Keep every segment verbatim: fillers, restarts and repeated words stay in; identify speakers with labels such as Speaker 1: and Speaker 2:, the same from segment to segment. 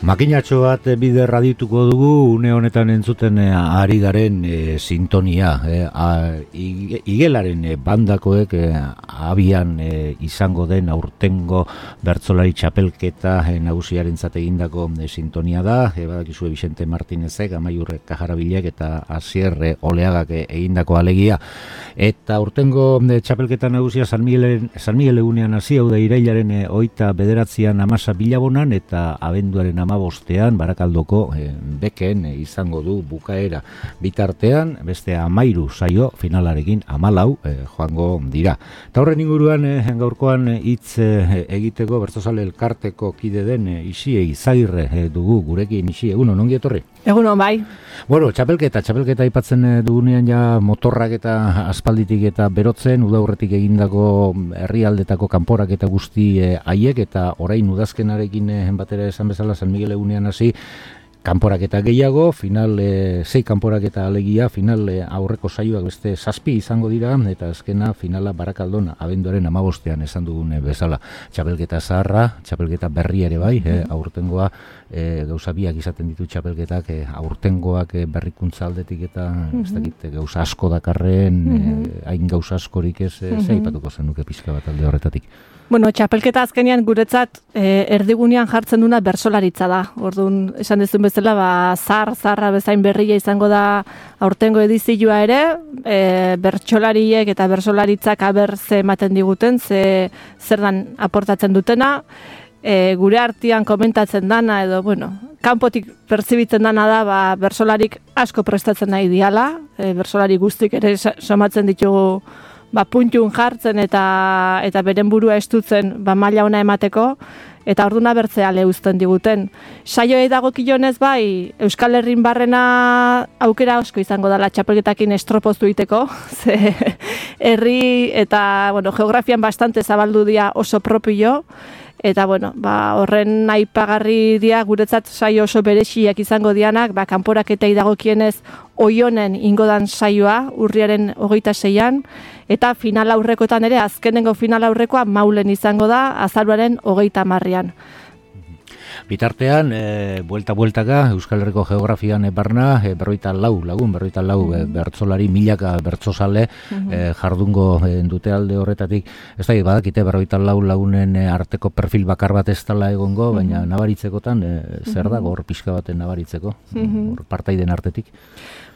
Speaker 1: Makinatxo bat bider radituko dugu, une honetan entzuten e, ari garen e, sintonia. E, a, igelaren e, bandakoek e, abian e, izango den aurtengo bertsolari txapelketa e, nagusiarentzat egindako e, sintonia da. E, badakizue Vicente Martinezek, Amaiur Kajarabilek eta Asier e, Oleagak e, egindako alegia. Eta aurtengo e, txapelketa nagusia San Miguel, San Miguel egunean hasi, hau da irailaren e, oita bederatzian amasa bilabonan eta abenduaren ama bostean Barakaldoko e, beken e, izango du bukaera. Bitartean beste amairu saio finalarekin amalau e, joango dira. Eta horren inguruan e, gaurkoan hitz e, egiteko bertsozale elkarteko kide den e, Isie Izagirre e, dugu gurekin. Isie, egunon, ongi etorri?
Speaker 2: Egunon, bai.
Speaker 1: Bueno, txapelketa, txapelketa aipatzen dugunean ja motorrak eta aspalditik eta berotzen, udaurretik egindako herrialdetako kanporak eta guzti e, haiek eta orain udazkenarekin e, batera esan bezala San Miguel egunean hasi, kanporaketa gehiago, final e, sei kanporaketa alegia, final e, aurreko saioak beste zazpi izango dira, eta azkena finala Barakaldon abenduaren amabostean esan dugun e, bezala. Txapelketa zaharra, txapelketa berria ere bai, e, aurtengoa e, gauza biak izaten ditu txapelketak, e, aurtengoak e, berrikuntza aldetik eta mm-hmm. ez dakit, gauza asko dakarren, mm-hmm. e, hain gauza askorik ez, e, mm-hmm. zeipatuko zenuke pixka bat alde horretatik.
Speaker 2: Bueno, txapelketa azkenean guretzat e, erdigunean jartzen duna bersolaritza da. Orduan, esan dezun bezala, ba, zar, zarra bezain berria izango da aurtengo edizioa ere, e, bertsolariek eta bersolaritzak aber ze ematen diguten, ze zer dan aportatzen dutena, e, gure artean komentatzen dana, edo, bueno, kanpotik pertsibitzen dana da, ba, bersolarik asko prestatzen nahi diala, e, bersolari guztik ere somatzen ditugu ba, puntun jartzen eta eta beren burua estutzen ba, maila ona emateko, eta orduna bertzea leuzten diguten. Saioei dagokionez bai, Euskal Herrin barrena aukera asko izango dela txapelketakin estropozu iteko, ze herri eta bueno, geografian bastante zabaldu dira oso propio, eta bueno, ba, horren aipagarri dira guretzat saio oso berexiak izango dianak, ba, kanporaketei dagokienez Oionen ingodan saioa, urriaren hogeita seian, eta final aurrekoetan ere, azkenengo final aurrekoa Maulen izango da, azaruaren hogeita hamarrean.
Speaker 1: Bitartean, e, buelta-bueltaka, Euskal Herriko geografian e, barna, e, berroita lau lagun, berroita lau e, bertsolari, milaka bertsozale mm-hmm. e, jardungo e, dute alde horretatik. Ez da, badakite, berroita lau lagunen e, arteko perfil bakar bat ez dela egongo, mm-hmm. baina nabaritzekotan, e, zer dago hor pixka baten nabaritzeko, mm-hmm. hor partaiden artetik?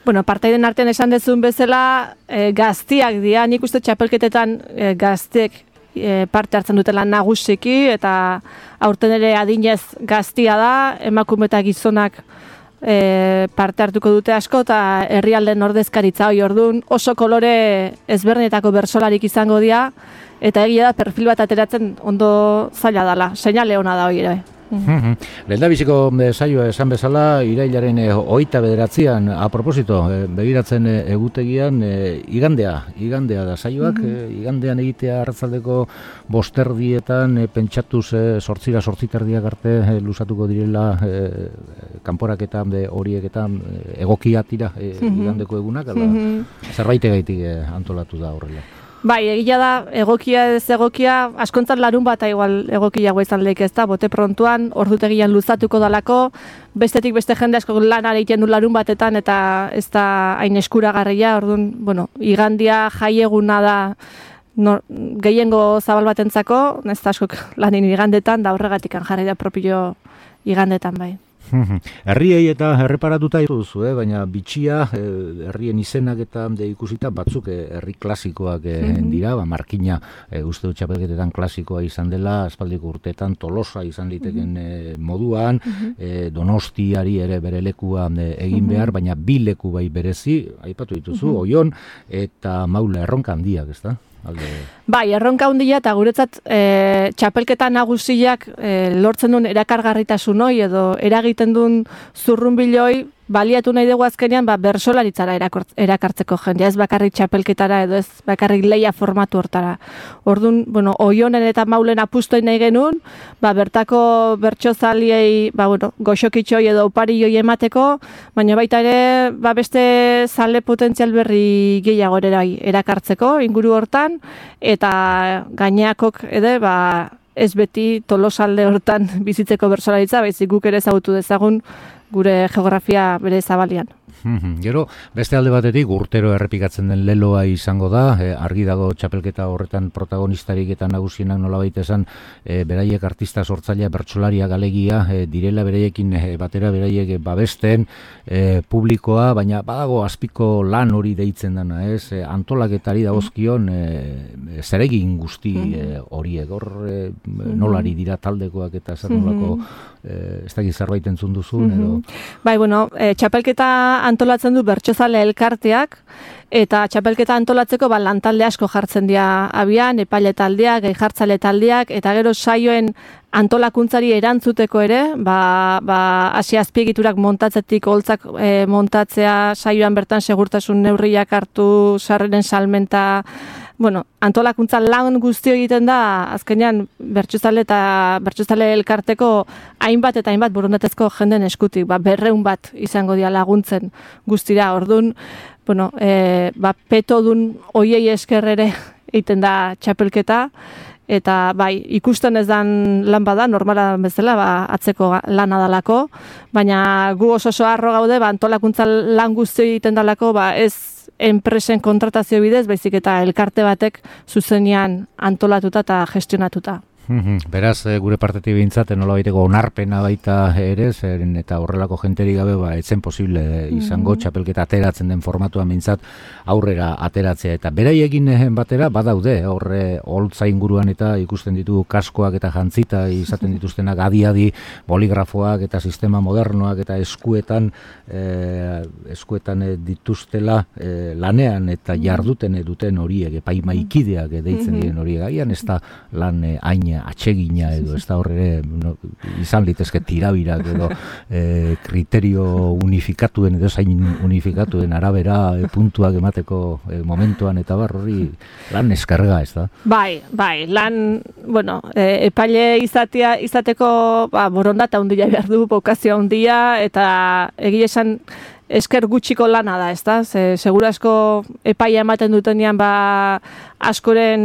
Speaker 2: Bueno, partaiden artean esan dezun bezala, e, gaztiak dira, nik uste txapelketetan e, gaztek E, parte hartzen dutela nagusiki, eta aurten ere adinez gaztia da, emakume eta gizonak e, parte hartuko dute asko, eta herrialden ordezkaritza hori orduan oso kolore ezberdinetako bersolarik izango dira, eta egia da perfil bat ateratzen ondo zaila dela, seinale ona da hori ere.
Speaker 1: Mm-hmm. Lehendabiziko saioa esan bezala, irailaren e, oita bederatzian, a propósito, e, begiratzen e, egutegian, e, igandea, igandea da saioak, mm-hmm. e, igandean egitea arratzaldeko bosterdietan, e, pentsatuz e, sortzira, sortziterdiak arte e, luzatuko direla e, kanporaketan de horieketan e, egokia tira e, mm-hmm. igandeko egunak, ala, mm-hmm. zerbaitegaitik e, antolatu da horrela.
Speaker 2: Bai, egia da, egokia ez egokia, askontzat larun bat igual egokiago izan lehik ez da, bote prontuan, ordutegian luzatuko dalako, bestetik beste jende asko lan egiten du larun batetan, eta ez da hain eskuragarria, orduan, bueno, igandia jaieguna da no, gehiengo zabal batentzako, ez da askok lanin igandetan, da horregatik jarri da propio igandetan bai.
Speaker 1: Herriei eta erreparatuta duzu, eh? Baina bitxia, eh, herrien izenak eta de ikusita batzuk eh, herri klasikoak eh, mm-hmm. dira, ba, Markina eh, uste dut txapelketetan klasikoa izan dela, aspaldiko urteetan Tolosa izan liteken eh, moduan, mm-hmm. eh, Donostiari ere bere lekua eh, egin mm-hmm. behar, baina bi leku bai berezi, aipatu dituzu, mm-hmm. Oion eta Maula erronka handiak, ez da? Alde...
Speaker 2: Bai, erronka handia eta guretzat e, txapelketa nagusiak e, lortzen duen erakargarritasun hoi edo eragiten duen zurrunbiloi baliatu nahi dugu azkenean ba, bersolaritzara erakartzeko jendea, ez bakarrik txapelketara edo ez bakarrik leia formatu hortara. Orduan, bueno, Oionen eta Maulen apustoin nahi genuen, ba, bertako bertsozaliei ba, bueno, goxokitxoi edo uparioi emateko, baina baita ere ba, beste zale potentzial berri gehiago ere erakartzeko inguru hortan, eta gaineakok edo ba, ez beti Tolosalde hortan bizitzeko bertsolaritza, baizik guk ere ezagutu dezagun gure geografia bere zabalian.
Speaker 1: Gero, beste alde batetik, urtero errepikatzen den leloa izango da, e, argi dago txapelketa horretan protagonistarik eta nagusienak nolabait esan, e, beraiek artista sortzailea, bertsolaria, galegia, e, direla beraiekin e, batera beraiek babesten, e, publikoa, baina badago azpiko lan hori deitzen dana, ez? E, antolaketari dagozkion e, zeregin guzti e, horiek, hor e, nolari dira taldekoak eta zer nolako, e, ez dakit zerbait entzun duzun, edo...
Speaker 2: Bai, bueno, e, txapelketa antolatzen du bertsozale elkarteak, eta txapelketa antolatzeko ba, lantalde asko jartzen dira abian, epaile taldeak, gai jartzale taldeak, eta gero saioen antolakuntzari erantzuteko ere, ba, ba, hasi azpiegiturak montatzetik, holtzak e, montatzea, saioan bertan segurtasun neurriak hartu, sarreren salmenta, bueno, antolakuntza lan guztio egiten da, azkenean bertsozale eta bertsozale elkarteko hainbat eta hainbat borondatezko jenden eskutik, ba, berreun bat izango dira laguntzen guztira, orduan, bueno, e, ba, petodun oiei esker ere egiten da txapelketa, eta bai, ikusten ez dan lan bada, normala bezala, ba, atzeko lana dalako, baina gu oso oso harro gaude, ba, antolakuntza lan guztio egiten dalako, ba, ez enpresen kontratazio bidez, baizik eta elkarte batek zuzenean antolatuta eta gestionatuta.
Speaker 1: Beraz, gure partetik behintzat, nolabaiteko onarpena baita ere, zeren eta horrelako jenterik gabe, ba, etzen posible izango txapelketa ateratzen den formatuan behintzat aurrera ateratzea. Eta beraiekin batera, badaude, horre holtza inguruan eta ikusten ditu kaskoak eta jantzita izaten dituztenak adi-adi boligrafoak eta sistema modernoak eta eskuetan eh, eskuetan dituztela eh, lanean eta jarduten duten horiek, epaimaikideak deitzen diren horiek, agian ez da lan hain atsegina edo ez da horre no, izan litezke tirabirak edo e, kriterio unifikatuen edo zain unifikatuen arabera e, puntuak emateko e, momentuan eta bar hori lan eskarga ez da? Bai,
Speaker 2: bai, lan, bueno, e, epaile izatea, izateko ba, borondata handia behar du, bokazio handia eta egia esan esker gutxiko lana da, ez da? Ze, segura asko epaia ematen dutenean ba, askoren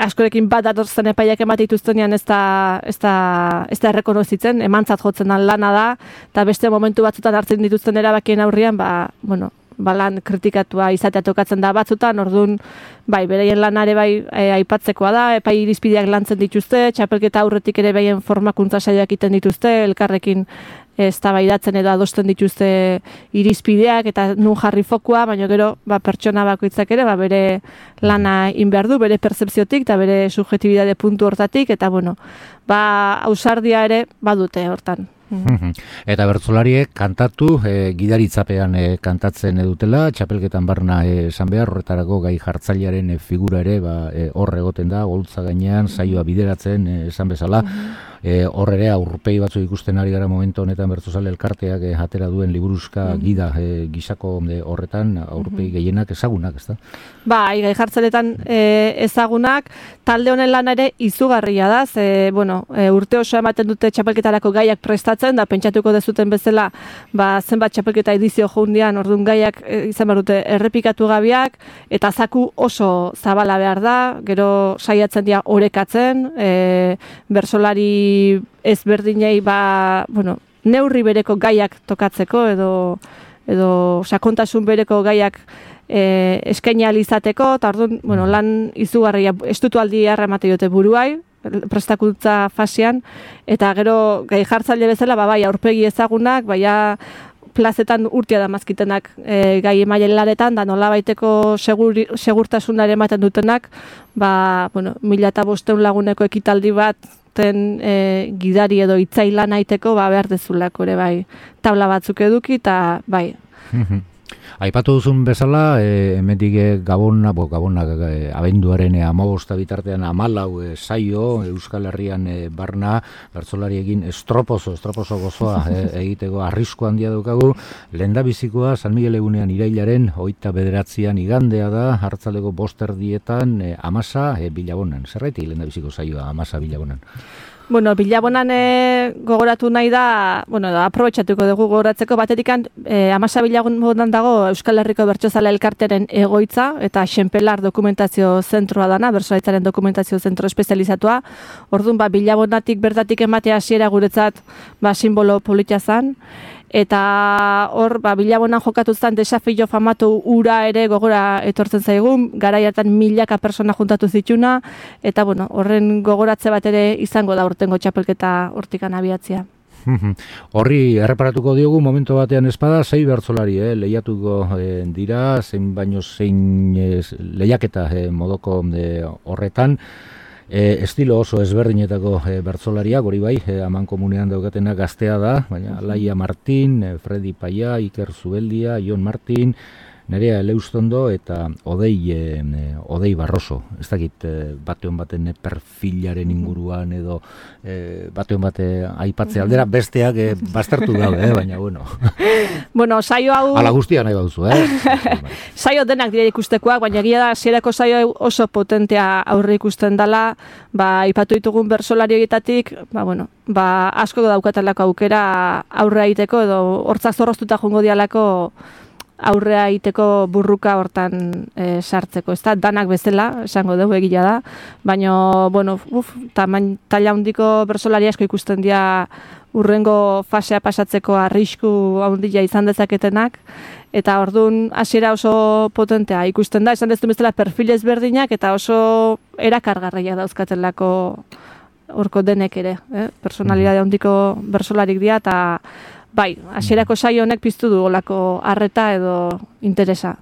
Speaker 2: askorekin bat datorzen epaiak ematen dituztenean ez da, ez da, ez da errekonozitzen, emantzat jotzen dan lana da, eta beste momentu batzutan hartzen dituzten erabakien aurrian, ba, bueno, ba lan kritikatua izatea tokatzen da batzutan, orduan, bai, bereien lanare bai e, aipatzekoa da, epai irizpideak lantzen dituzte, txapelketa aurretik ere behin formakuntza saioak egiten dituzte, elkarrekin eztabaidatzen edo adosten dituzte irizpideak eta nun jarri fokua, baina gero ba, pertsona bakoitzak ere ba, bere lana inbehar du, bere pertzepziotik eta bere subjetibitate puntu hortatik, eta bueno, ba, ausardia ere badute hortan.
Speaker 1: Eta bertsolariek kantatu, e, gidaritzapean e, kantatzen edutela, txapelketan barna esan behar, horretarako gai jartzailearen e, figura ere ba, e, hor egoten da, holtza gainean, saioa bideratzen e, esan bezala, e, hor ere aurpegi batzu ikusten ari gara momentu honetan bertsozale elkarteak e, atera duen liburuzka gida e, gisako e, horretan aurpegi gehienak ezagunak, ez da?
Speaker 2: Bai, gai jartzailetan e, ezagunak, talde honen lan ere izugarria da, ze, bueno, e, urte oso ematen dute txapelketarako gaiak prestatzen, da pentsatuko dezuten bezala ba, zenbat txapelketa edizio joundian, orduan gaiak e, izan behar dute errepikatu gabiak, eta zaku oso zabala behar da, gero saiatzen dira orekatzen, e, bersolari ezberdinei ba, bueno, neurri bereko gaiak tokatzeko, edo, edo sakontasun bereko gaiak e, eskaini ahal izateko, eta orduan, bueno, lan izugarria, estutu aldi harra emate dute buruai, prestakuntza fasean, eta gero gai jartzaile bezala, ba, bai, aurpegi ezagunak, baina plazetan urtia da mazkitenak e, gai emailen laretan, da nola baiteko segur, segurtasunare ematen dutenak, ba, bueno, mila eta bosteun laguneko ekitaldi bat ten e, gidari edo itzaila naiteko, ba, behar dezulako ere, bai, tabla batzuk eduki, eta bai.
Speaker 1: Aipatu duzun bezala, e, hemendik Gabona, bo, Gabona e, abenduaren e, hamabosta bitartean hamalau e, saio Euskal Herrian e, barna bertsolariekin estropozo, estropozo gozoa e, egiteko arrisku handia daukagu. Lehendabizikoa San Miguel egunean irailaren hogeita bederatzian igandea da, hartzaldeko bost erdietan e, Amasa e, Bilabonan. Zerraitik lehendabiziko saioa Amasa Bilabonan?
Speaker 2: Bueno, Bilabonan e, gogoratu nahi da, bueno, aprobetxatuko dugu gogoratzeko, batetikan e, amasa Bilabonan dago Euskal Herriko Bertsozale Elkartearen egoitza, eta Xenpelar dokumentazio zentroa dana, bertsolaritzaren dokumentazio zentro espezializatua. Orduan, ba, Bilabonatik bertatik ematea hasiera guretzat ba, simbolo politia zan, eta hor, ba, Bilabonan jokatu zen desafio famatu ura ere gogora etortzen zaigun, garai hartan milaka persona juntatu zituna, eta bueno, horren gogoratze bat ere izango da urtengo txapelketa hortikan abiatzea.
Speaker 1: Horri erreparatuko diogu momentu batean espada, sei bertsolari eh, lehiatuko eh, dira, zein baino zein eh, lehiaketa eh, modoko eh, horretan. E, estilo oso ezberdinetako e, bertsolariak, hori bai, e, aman komunean daukatenak gaztea da, baina Laia Martin, e, Fredi Paia, Iker Zubeldia, Jon Martin, Nerea Eleustondo eta Odei, e, Odei Barroso. Ez dakit e, bateon baten perfilaren inguruan edo e, bateon bate aipatze aldera, besteak e, baztertu daude, eh, baina bueno.
Speaker 2: Bueno, saio hau...
Speaker 1: Ala guztia nahi bauzu, eh?
Speaker 2: Saio denak dira ikustekoak, baina egia da hasierako saio oso potentea aurre ikusten dela, ba, aipatu ditugun bertsolari horietatik, ba, bueno, ba, asko daukatelako aukera aurre egiteko edo hortzak zorroztuta joango dialako aurrea egiteko burruka hortan e, sartzeko. Ez da, danak bezala, esango dugu egia da, baina, bueno, uf, tamain, talla handiko bertsolari asko ikusten dira urrengo fasea pasatzeko arrisku handia izan dezaketenak, eta orduan hasiera oso potentea ikusten da, esan ez du bezala perfil ezberdinak, eta oso erakargarriak dauzkatelako horko denek ere, eh? Personalidade handiko bertsolarik dira, eta bai, hasierako saio honek piztu du olako harreta edo interesa.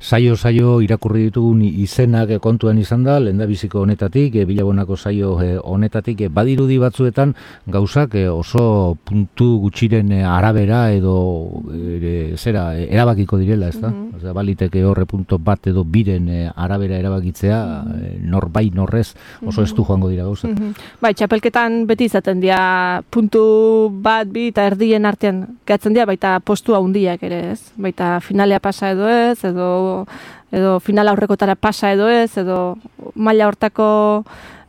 Speaker 1: Saio, saio irakurri ditugun izenak kontuan izan da, lehendabiziko honetatik, e, Bilabonako saio e, honetatik, e, badirudi batzuetan gauzak e, oso puntu gutxiren e, arabera edo e, zera, e, erabakiko direla, ez da? Mm-hmm. Osea, baliteke horre punto bat edo biren e, arabera erabakitzea, mm-hmm. e, norbai norrez oso estu joango dira gauzak.
Speaker 2: Mm-hmm. Bai, txapelketan beti izaten dira puntu bat, bi eta erdien artean gehatzen dira, baita postu handiak ere, ez? Baita finalea pasa edo ez, edo edo final aurrekotara pasa edo ez, edo maila hortako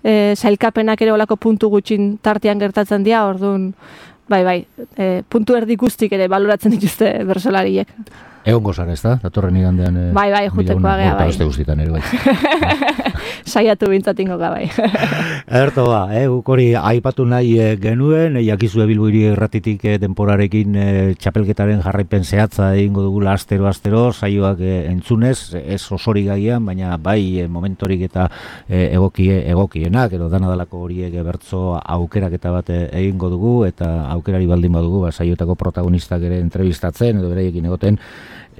Speaker 2: e, sailkapenak ere olako puntu gutxin tartean gertatzen dira, orduan, bai, bai, e, puntu erdi guztik ere baloratzen dituzte bertsolariek.
Speaker 1: Egon gozara, ez da? Datorren igandean... E,
Speaker 2: bai, bai, juteko agea, bai.
Speaker 1: Beste guztietan ere, bai.
Speaker 2: Saiatu bintzatingo ga, bai.
Speaker 1: Erto ba, eh, hori aipatu nahi e, genuen, e, jakizu Bilbo Hiri Irratitik e, denporarekin e, txapelketaren jarraipen zehatza egingo dugula astero-astero, saioak e, entzunez, ez osori gaian, baina bai e, momentorik eta e, egokie, egokienak, edo dana dalako horiek e, bertso aukeraketa bat e, egingo dugu, eta aukerari baldin badugu, ba, saioetako protagonistak ere entrevistatzen, edo beraiekin egoten,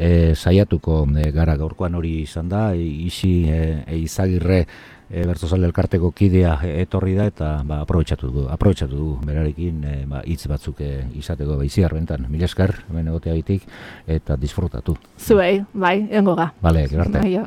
Speaker 1: E, saiatuko e, gara gaurkoan hori izan da, e, isi e, e, izagirre e, bertsozale elkarteko kidea e, etorri da, eta ba, aprobetxatu dugu, aprobetxatu dugu berarekin e, ba, hitz batzuk e, izateko baiziar bentan. Mila esker, hemen egoteagitik, eta disfrutatu.
Speaker 2: Zuei, bai, engo ga.
Speaker 1: Bale, gerarte.
Speaker 2: Bai,